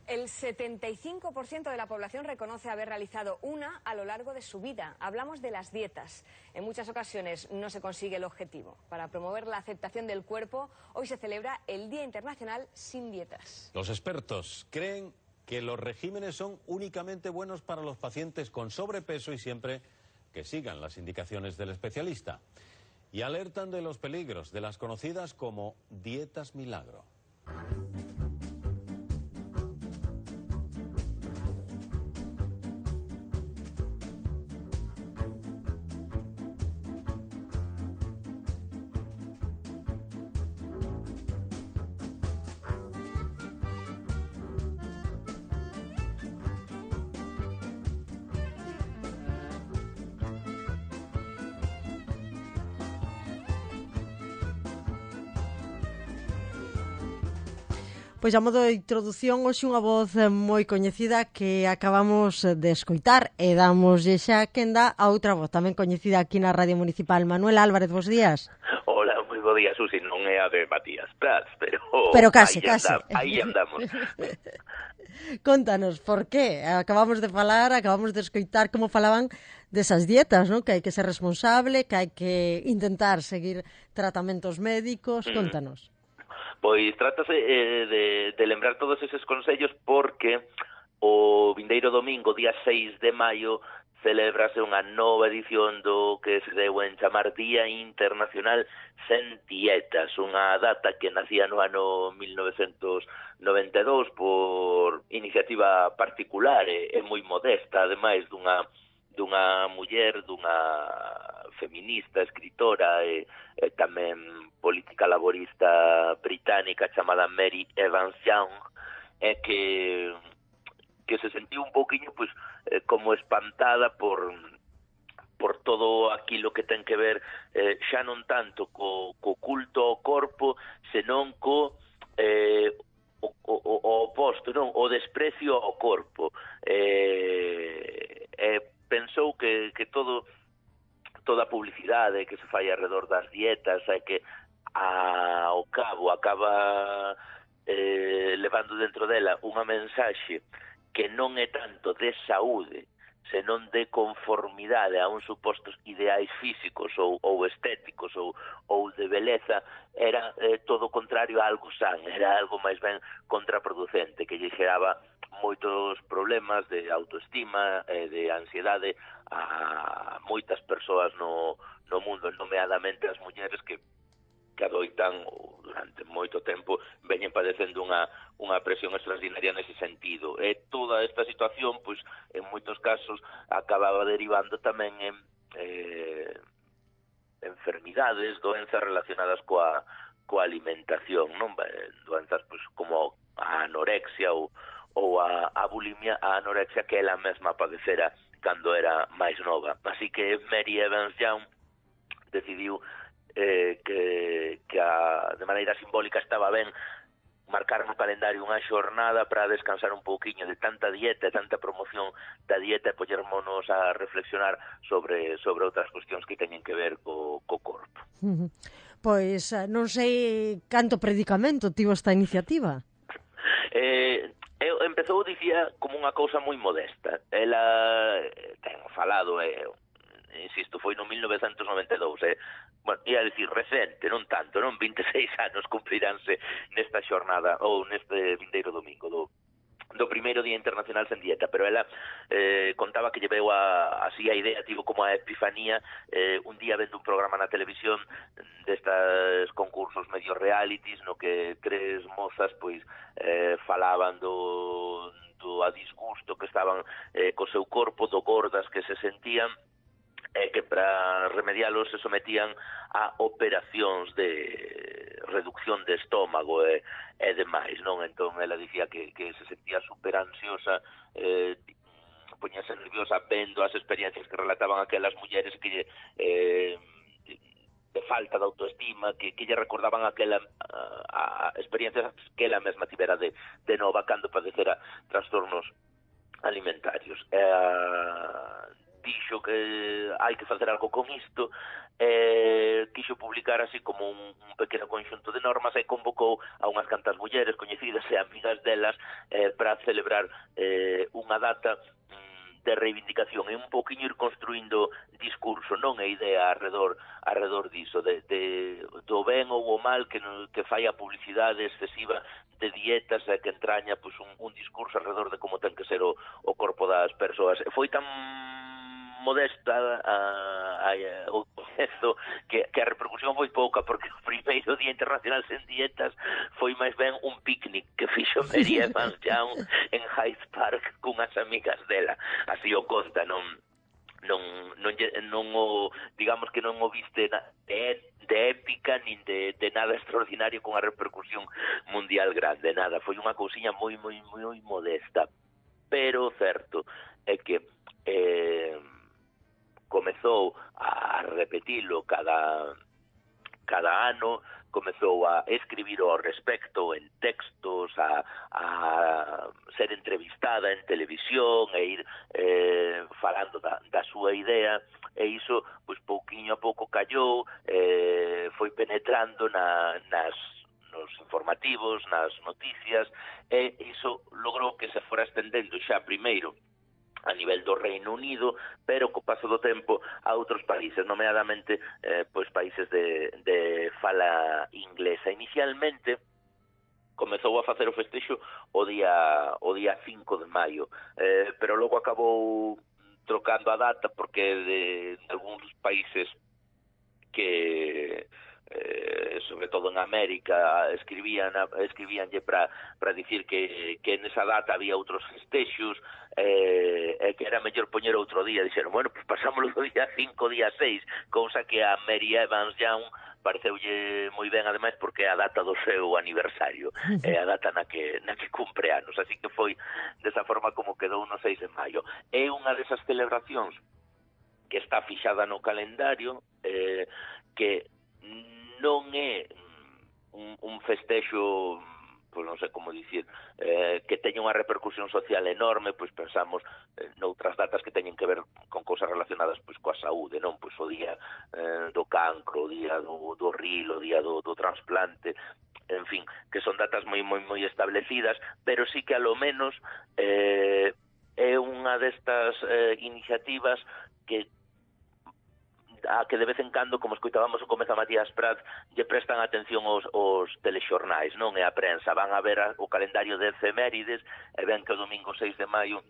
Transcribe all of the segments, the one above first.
El 75% de la población reconoce haber realizado una a lo largo de su vida. Hablamos de las dietas. En muchas ocasiones no se consigue el objetivo. Para promover la aceptación del cuerpo, hoy se celebra el Día Internacional sin Dietas. Los expertos creen que los regímenes son únicamente buenos para los pacientes con sobrepeso y siempre que sigan las indicaciones del especialista. Y alertan de los peligros de las conocidas como dietas milagro. Pois a modo de introdución, hoxe unha voz moi coñecida que acabamos de escoitar e damoslle xa quenda a outra voz tamén coñecida aquí na Radio Municipal. Manuel Álvarez, bos días. Hola, moi bo día, Susi, non é a de Matías Prats, pero case. Aí andamos. Contanos, por qué? Acabamos de escoitar como falaban desas dietas, non? Que hai que ser responsable, que hai que intentar seguir tratamentos médicos. Contanos. Pois trátase de lembrar todos eses consellos porque o vindeiro domingo, día 6 de maio, celebrase unha nova edición do que se deu en chamar Día Internacional Sen Dietas, unha data que nacía no ano 1992 por iniciativa particular e moi modesta, ademais dunha muller, dunha feminista, escritora e tamén política laborista británica chamada Mary Evans Young, que se sentiu un pouquiño pois como espantada por todo aquilo que ten que ver xa non tanto co culto ao corpo, senón co o oposto, non, o desprecio ao corpo. Pensou que toda a publicidade que se fai alrededor das dietas é que ao cabo acaba levando dentro dela unha mensaxe que non é tanto de saúde, senón de conformidade a uns supostos ideais físicos ou estéticos ou de beleza, era todo o contrario a algo san, era algo máis ben contraproducente, que lle xeraba moitos problemas de autoestima e de ansiedade a moitas persoas no mundo, nomeadamente as mulleres que adoitan durante moito tempo veñen padecendo unha presión extraordinaria nese sentido. E toda esta situación, pois, en moitos casos, acababa derivando tamén en enfermidades, doenzas relacionadas coa alimentación, non? Doenzas, pois, como a anorexia ou a bulimia, a anorexia que ela mesma padecera cando era máis nova. Así que Mary Evans Young decidiu que de maneira simbólica estaba ben marcar no calendario unha xornada para descansar un pouquiño de tanta dieta e tanta promoción da dieta e poñermonos a reflexionar sobre outras cuestións que teñen que ver co corpo. Pois non sei canto predicamento tivo esta iniciativa. Empezou, dicía, como unha cousa moi modesta. Ela ten falado, insisto, foi no 1992, bueno, ia dicir recente, non tanto, non 26 anos cumpriránse nesta xornada ou neste vindeiro domingo do primeiro Día Internacional Sen Dieta, pero ela contaba que lle veu así a idea, tivo como a epifanía un día vendo un programa na televisión destas concursos medio realities no que tres mozas pois falaban do a disgusto que estaban co seu corpo, do gordas que se sentían, que para remedialos se sometían a operacións de reducción de estómago e demais, non? Entón, ela dicía que se sentía super ansiosa, poñase nerviosa vendo as experiencias que relataban aquelas mulleres que de falta de autoestima, que lle recordaban aquela experiencias que ela mesma tivera de nova cando padecera trastornos alimentarios. dixo que hai que facer algo con isto, quixo publicar así como un pequeno conxunto de normas e convocou a unhas cantas mulleres coñecidas e amigas delas para celebrar unha data de reivindicación e un poquinho ir construindo discurso, non a idea arredor diso, do ben ou o mal que fai a publicidade excesiva de dietas e que entraña pues, un discurso alrededor de como ten que ser o corpo das persoas. Foi tan modesta o proceso que a repercusión foi pouca, porque o primeiro Día Internacional sen dietas foi máis ben un picnic que fixo Mary Evans Young en Hyde Park cunhas amigas dela. Así o conta, non o, digamos que non o viste de épica nin de nada extraordinario con a repercusión mundial grande, nada, foi unha cousiña moi modesta, pero certo é que comezou a repetilo cada ano, comezou a escribir ao respecto en textos, a ser entrevistada en televisión e ir falando da súa idea, e iso, pois, pouquiño a pouco callou, foi penetrando nos informativos, nas noticias, e iso logrou que se fora estendendo xa primeiro a nivel do Reino Unido, pero co paso do tempo a outros países, nomeadamente pois países de fala inglesa. Inicialmente comezou a facer o festexo o día 5 de maio, pero logo acabou trocando a data porque de algúns países que sobre todo en América escribíanlle para dicir que nesa data había outros festexos e que era mellor poñer outro día. Dixeron, bueno, pues pasámoslo do día 5, día 6, cousa que a Mary Evans Young pareceulle moi ben, ademais, porque é a data do seu aniversario, é a data na que cumpre anos, así que foi desa forma como quedou no 6 de maio. É unha desas celebracións que está fixada no calendario, que non é un festexo, pois non sei como dicir, que teña unha repercusión social enorme, pois pensamos noutras datas que teñen que ver con cousas relacionadas pois coa saúde, non? Pois o día do cancro, o día do ril, o día do trasplante, en fin, que son datas moi establecidas, pero sí que a lo menos é unha destas iniciativas que de vez en cando, como escoitábamos o comezo a Matías Prats, lle prestan atención os telexornais, non? E a prensa van a ver o calendario de efemérides e ven que o domingo 6 de maio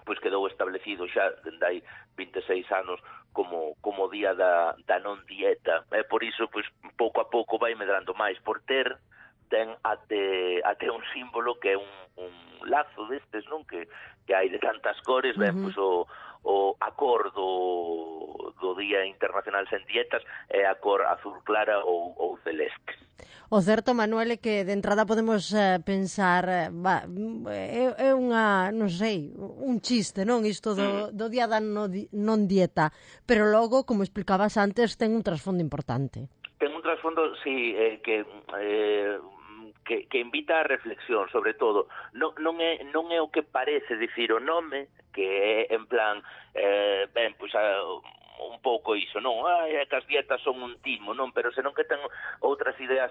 pois quedou establecido xa dende hai 26 anos como día da non dieta. E por iso, pois, pouco a pouco vai medrando máis, por ten até un símbolo que é un lazo destes, non? Que hai de tantas cores, ben, pois a cor do Día Internacional sen dietas é a cor azul clara ou celeste. O certo, Manuel, é que de entrada podemos pensar é unha, non sei, un chiste, non? Isto do Día da non dieta, pero logo, como explicabas antes, ten un trasfondo importante. Ten un trasfondo, sí, que invita a reflexión, sobre todo. Non é o que parece dicir o nome, que é en plan, pois un pouco iso, non? Que as dietas son un timo, non? Pero senón que ten outras ideas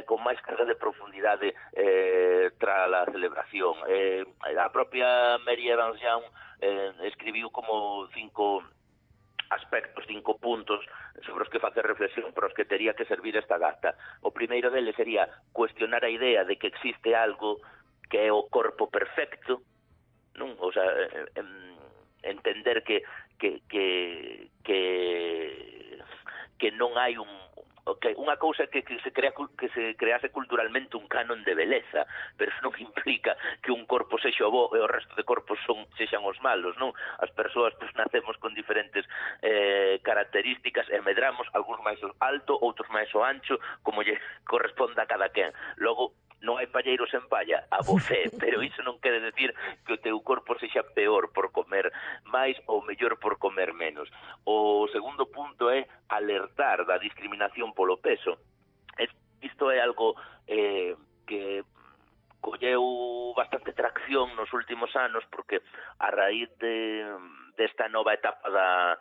con máis carga de profundidade tras a celebración. A propia Mary Evans Young escribiu como 5 aspectos, 5 puntos sobre os que facer reflexión, para os que tería que servir esta data. O primeiro deles sería cuestionar a idea de que existe algo que é o corpo perfecto, non? O sea, entender que non hai unha cousa que se crease culturalmente un canon de beleza, pero eso non implica que un corpo sexa o bo e o resto de corpos sexan os malos, non? As persoas pues, nacemos con diferentes características e medramos, algúns máis alto, outros máis o ancho, como lle corresponda a cada quen. Logo, non hai palleiros en palla, a bofé, pero iso non quere decir que o teu corpo sexa peor por comer máis ou mellor por comer menos. O segundo punto é alertar da discriminación polo peso. Isto é algo que colleu bastante tracción nos últimos anos, porque a raíz desta nova etapa da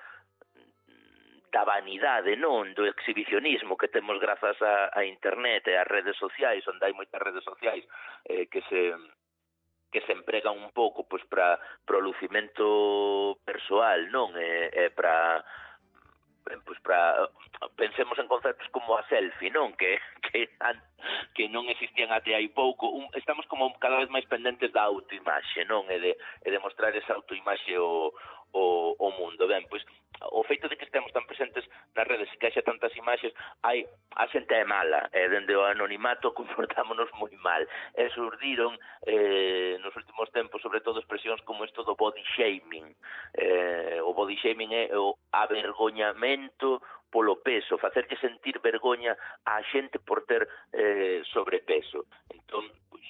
vanidade, non? Do exhibicionismo que temos grazas a internet e as redes sociais, onde hai moitas redes sociais que se empregan un pouco pois para o lucimento persoal, non? E para pensemos en conceptos como a selfie, non? Que non existían até hai pouco. Estamos como cada vez máis pendentes da autoimaxe, non? E de mostrar esa autoimaxe o mundo. Ben, pois, o feito de que estemos tan presentes nas redes e que haxa tantas imaxes, a xente é mala, e dende o anonimato comportámonos moi mal. E surdiron nos últimos tempos, sobre todo, expresións como isto do body shaming. O body shaming é o avergoñamento polo peso, facerlle sentir vergoña á xente por ter sobrepeso. Entón, pois,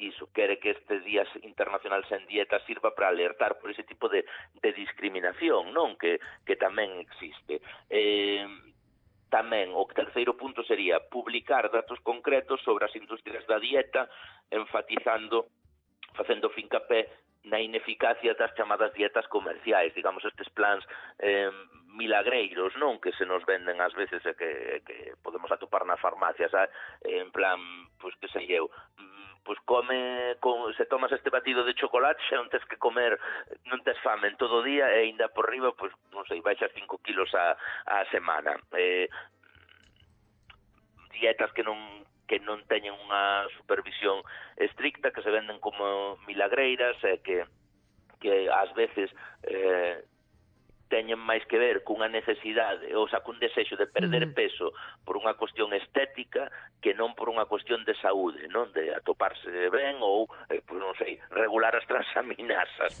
iso, quere que este Día Internacional Sen Dieta sirva para alertar por ese tipo de discriminación, non? Que tamén existe. Tamén, o terceiro punto sería publicar datos concretos sobre as industrias da dieta, facendo fincapé na ineficacia das chamadas dietas comerciais, digamos, estes plans milagreiros, non? Que se nos venden ás veces e que podemos atopar nas farmacias, en plan, pois que sei eu, pois se tomas este batido de chocolate xa non tes que comer, non tes fame en todo o día e ainda por riba, pois, non sei, baixas 5 kilos a semana. Dietas que non teñen unha supervisión estricta, que se venden como milagreiras e que ás veces teñen máis que ver cunha necesidade, ou sea, cun desexo de perder peso por unha cuestión estética que non por unha cuestión de saúde, non? De atoparse ben ou, pois non sei, regular as transaminasas,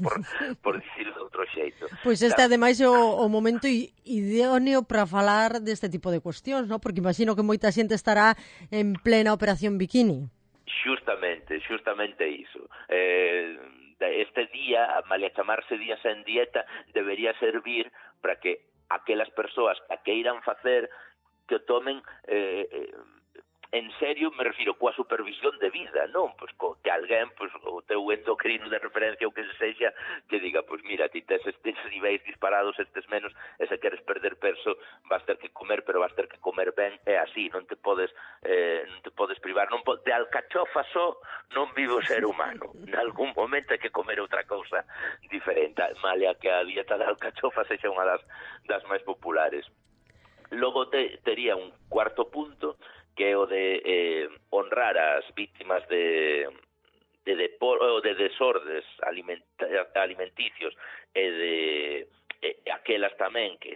por dicirlo de outro xeito. Pois este, ademais, é o momento idóneo para falar deste tipo de cuestións, non? Porque imagino que moita xente estará en plena operación bikini. Justamente iso. Este día, malia chamarse Día Sen Dieta, debería servir para que aquelas persoas que a queiran facer, que o tomen en serio, me refiro, coa supervisión de vida, non? Pois que alguén, pois, o teu endocrino de referencia ou que se sexa, que diga, pois mira, ti tes estes niveis disparados, estes menos, e se queres perder peso, vas ter que comer, pero vas ter que comer ben, é así, non te podes privar, de alcachofa só non vive o ser humano, en algún momento hai que comer outra cousa diferente, malia que a dieta da alcachofa sexa unha das máis populares. Logo tería un cuarto punto, que é o de honrar as vítimas de desordes alimenticios e aquelas tamén que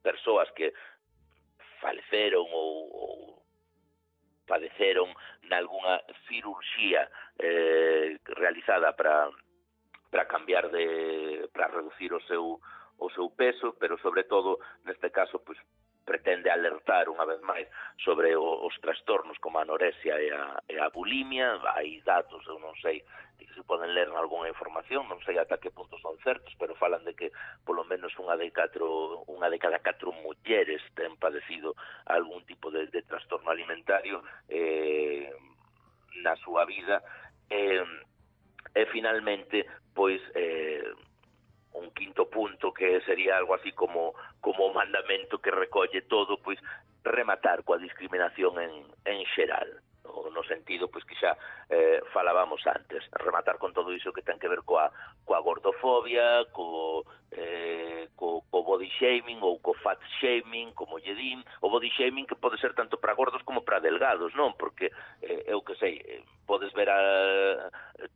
persoas que faleceron ou padeceron nalgúna cirurxía realizada para cambiar para reducir o seu peso, pero sobre todo neste caso pois pretende alertar unha vez máis sobre os trastornos como a anorexia e a bulimia. Hai datos, eu non sei, que se poden ler en algunha información, non sei ata que punto son certos, pero falan de que polo menos unha de cada 4 mulleres ten padecido algún tipo de trastorno alimentario na súa vida. E finalmente, pois, un quinto punto que sería algo así como o mandamento que recolle todo, pois rematar coa discriminación en xeral, no sentido pois que xa falábamos antes, rematar con todo iso que ten que ver coa gordofobia, co body shaming ou co fat shaming, como lle din, o body shaming que pode ser tanto para gordos como para delgados, non? Porque eu que sei, podes ver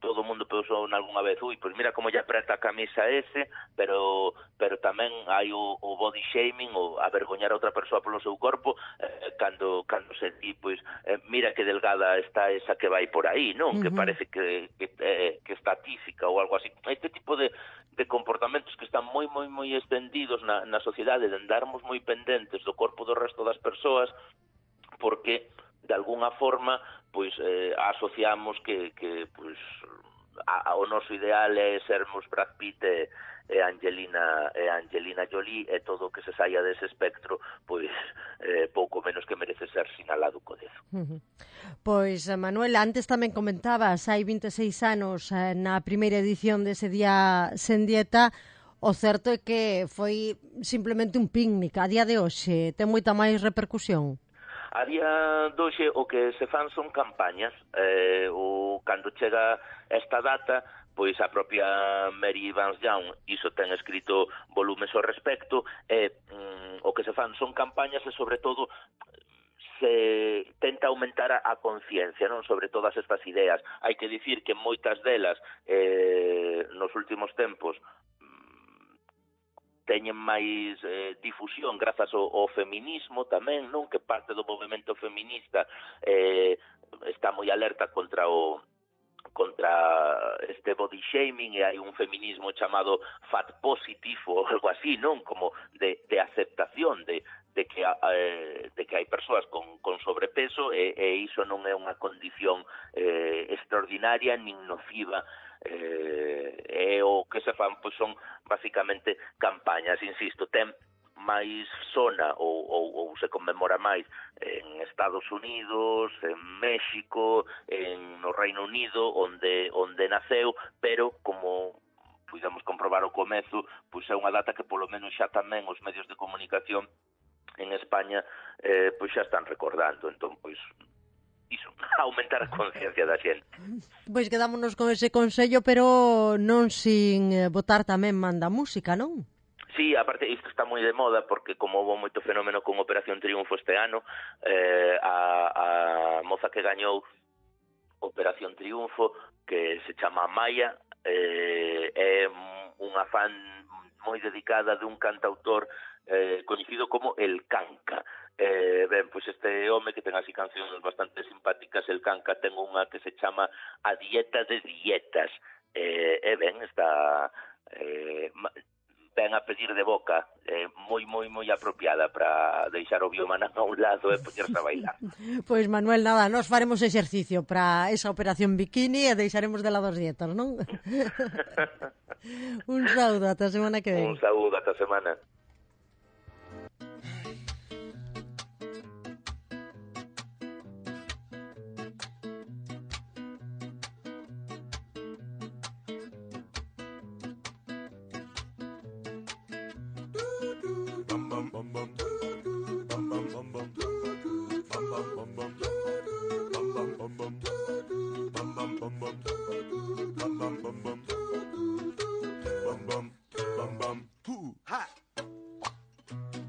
todo o mundo pensou nalgúna vez, pois mira como lle apreta a camisa ese, pero tamén hai o body shaming, o avergoñar a outra persoa polo seu corpo, cando se di, pois, mira que delgada está esa que vai por aí, non? Que parece que está tísica ou algo así. Este tipo de comportamentos que están moi extendidos na sociedade, de andarmos moi pendentes do corpo do resto das persoas, porque de alguna forma pois asociamos que pois o noso ideal é sermos Brad Pitt e Angelina Jolie, e todo o que se saia dese espectro pois pouco menos que merece ser sinalado co dedo. Pois, Manuel, antes tamén comentabas, hai 26 anos na primeira edición dese Día Sen Dieta, O certo é que foi simplemente un picnic. A día de hoxe ten moita máis repercusión. A día de hoxe o que se fan son campañas. Cando chega esta data, pois a propia Mary Vance Young iso ten escrito volumes ao respecto, o que se fan son campañas e sobre todo se tenta aumentar a conciencia, non, sobre todas estas ideas. Hai que dicir que moitas delas nos últimos tempos teñen máis difusión grazas ao feminismo tamén, non, que parte do movimento feminista está moi alerta contra este body shaming, e hai un feminismo chamado fat positive ou algo así, non, como de aceptación de que hai persoas con sobrepeso e iso non é unha condición extraordinaria nin nociva. O que se fan pois son basicamente campañas, insisto, ten máis sona ou se conmemora máis en Estados Unidos, en México, no Reino Unido, onde naceu, pero como pudemos comprobar ao comezo, pois é unha data que polo menos xa tamén os medios de comunicación en España pois xa están recordando. Entón, pois iso, aumentar a conciencia da xente. Pois quedámonos con ese consello, pero non sin botar tamén manda música, non? Sí, aparte isto está moi de moda porque como houve moito fenómeno con Operación Triunfo este ano, a moza que gañou Operación Triunfo, que se chama Maya, é unha fan moi dedicada de un cantautor coñecido como El Canca. Ben, pois este home que ten así cancións bastante simpáticas, El Canca, ten unha que se chama A Dieta de Dietas. Ben, está ben a pedir de boca, moi apropiada para deixar o biomanán a un lado e poñerse a bailar. Pois Manuel, nada, nos faremos exercicio para esa operación bikini e deixaremos de lado as dietas, non? Un saúdo, ata a semana que ven. Un saúdo, ata a semana.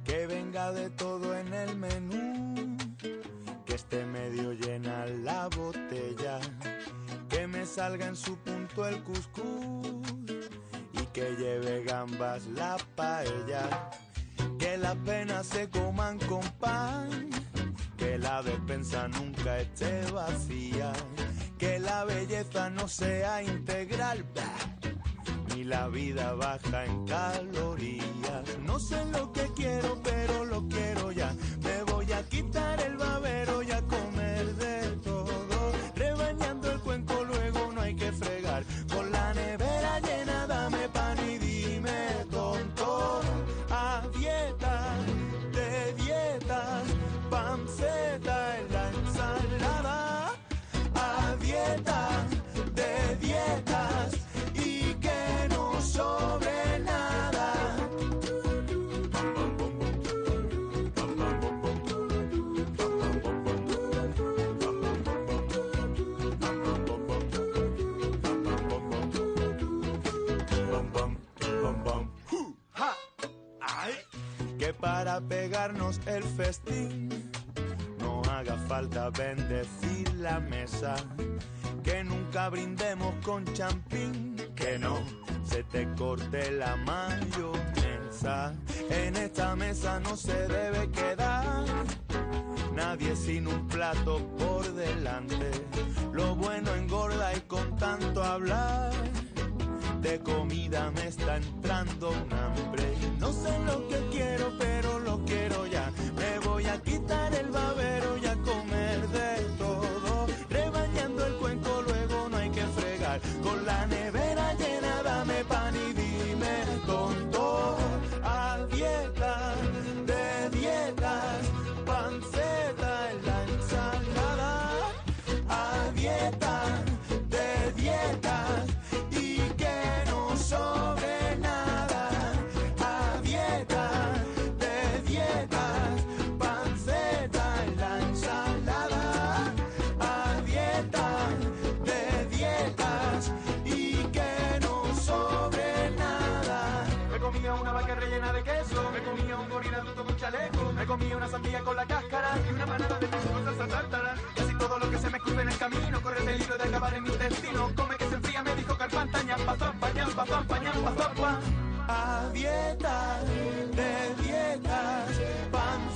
Que venga de todo en el menú, que esté medio llena la botella, que me salga en su punto el cuscús y que lleve gambas la paella, que las penas se coman con pan, que la despensa nunca esté vacía, que la belleza no sea integral, ni la vida baja en calorías. No sé lo que quiero, pero lo quiero ya. Me voy a quitar el babero y a comer de todo. Rebañando el cuenco, luego no hay que fregar. Con la nevera llena, dame pan y dime tonto. A dieta, de dietas, panceta en la ensalada. A dieta, de dietas, y que no sobre nada. Que para pegarnos el festín no haga falta bendecir la mesa, que nunca brindemos con champín, que no se te corte la mayonesa. En esta mesa no se debe quedar nadie sin un plato por delante. Lo bueno engorda y con tanto hablar de comida me está entrando un hambre. No sé lo que quiero, pero lo quiero ya. Me voy a quitar el babero y a comer de todo. Rebañando el cuenco, luego no hay que fregar. Con la nevera llena, dame pan y dime tonto. A dieta, de dietas, panceta en la ensalada. A dieta, de dietas, y que no sobre nada. hamburguesa rellena de queso. Me comía un gorila todo con chaleco. Me comía una sandía con la cáscara y una manada de queso con salsa tártara. Casi todo lo que se me escupe en el camino corre peligro de acabar en mi intestino. Come que se enfría, me dijo Carpanta, ñampa, zampa, ñampa, zampa, ñampa, zampa. A dieta, de dietas, pan